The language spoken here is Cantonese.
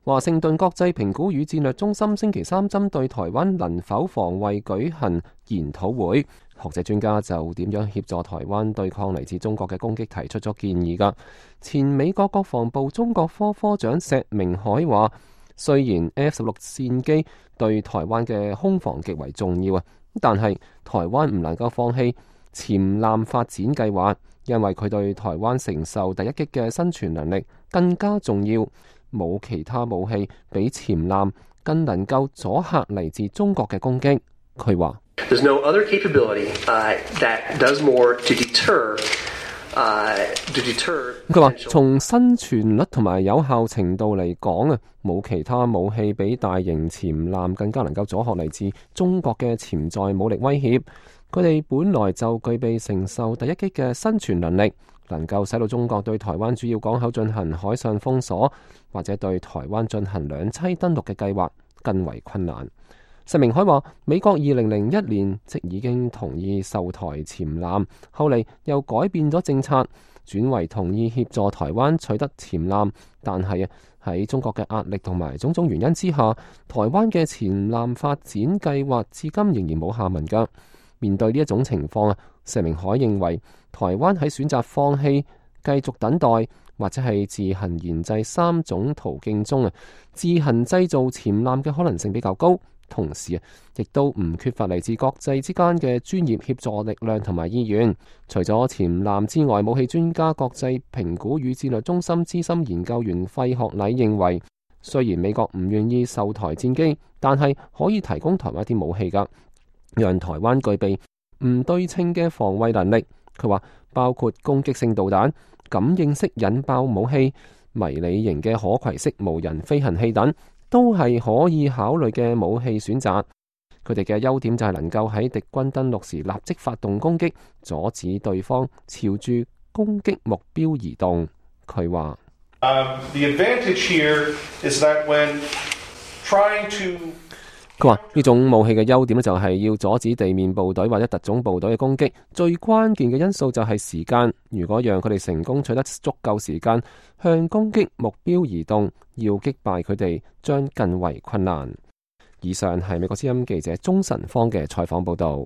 華盛頓國際評估與戰略中心星期三針對台灣能否防衛舉行研討會，學者專家就點樣協助台灣對抗嚟自中國嘅攻擊提出咗建議㗎。前美國國防部中國科科長石明凱話，雖然 F-16戰機對台灣嘅空防極為重要啊，但係台灣唔能夠放棄潛艦發展計劃，因為佢對台灣承受第一擊嘅生存能力更加重要。冇其他武器比潛艦更能夠阻嚇嚟自中國嘅攻擊。佢話：There's no other capability that does more to deter。佢話從生存率同埋有效程度嚟講啊，冇其他武器比大型潛艦更加能夠阻嚇嚟自中國嘅潛在武力威脅。佢哋本來就具備承受第一擊嘅生存能力，能夠使到中國對台灣主要港口進行海上封鎖，或者對台灣進行兩棲登陸嘅計劃更為困難。石明凱話，美國2001年即已經同意售台潛艦，後嚟又改變咗政策，轉為同意協助台灣取得潛艦，但係喺中國嘅壓力同埋種種原因之下，台灣嘅潛艦發展計劃至今仍然冇下文㗎。面對呢一種情況啊，石明凱認為台灣喺選擇放棄、繼續等待或者係自行研製三種途徑中啊，自行製造潛艦嘅可能性比較高。同時亦都唔缺乏嚟自國際之間嘅專業協助力量同埋意願。除咗潛艦之外，武器專家國際評估與戰略中心資深研究員費學禮認為，雖然美國唔願意售台戰機，但係可以提供台灣一啲武器㗎，讓台灣具備唔對稱嘅防衛能力。佢話包括攻擊性導彈、感應式引爆武器、迷你型嘅可攜式無人飛行器等，都係可以考慮嘅武器選擇。佢哋嘅優點就係能夠喺敵軍登陸時立即發動攻擊，阻止對方朝住攻擊目標移動。佢話佢話呢種武器嘅優點就係要阻止地面部隊或者特種部隊嘅攻擊，最關鍵嘅因素就係時間。如果讓佢哋成功取得足夠時間向攻擊目標移動，要擊敗佢哋將更為困難。以上係美國之音記者鍾晨芳嘅採訪報道。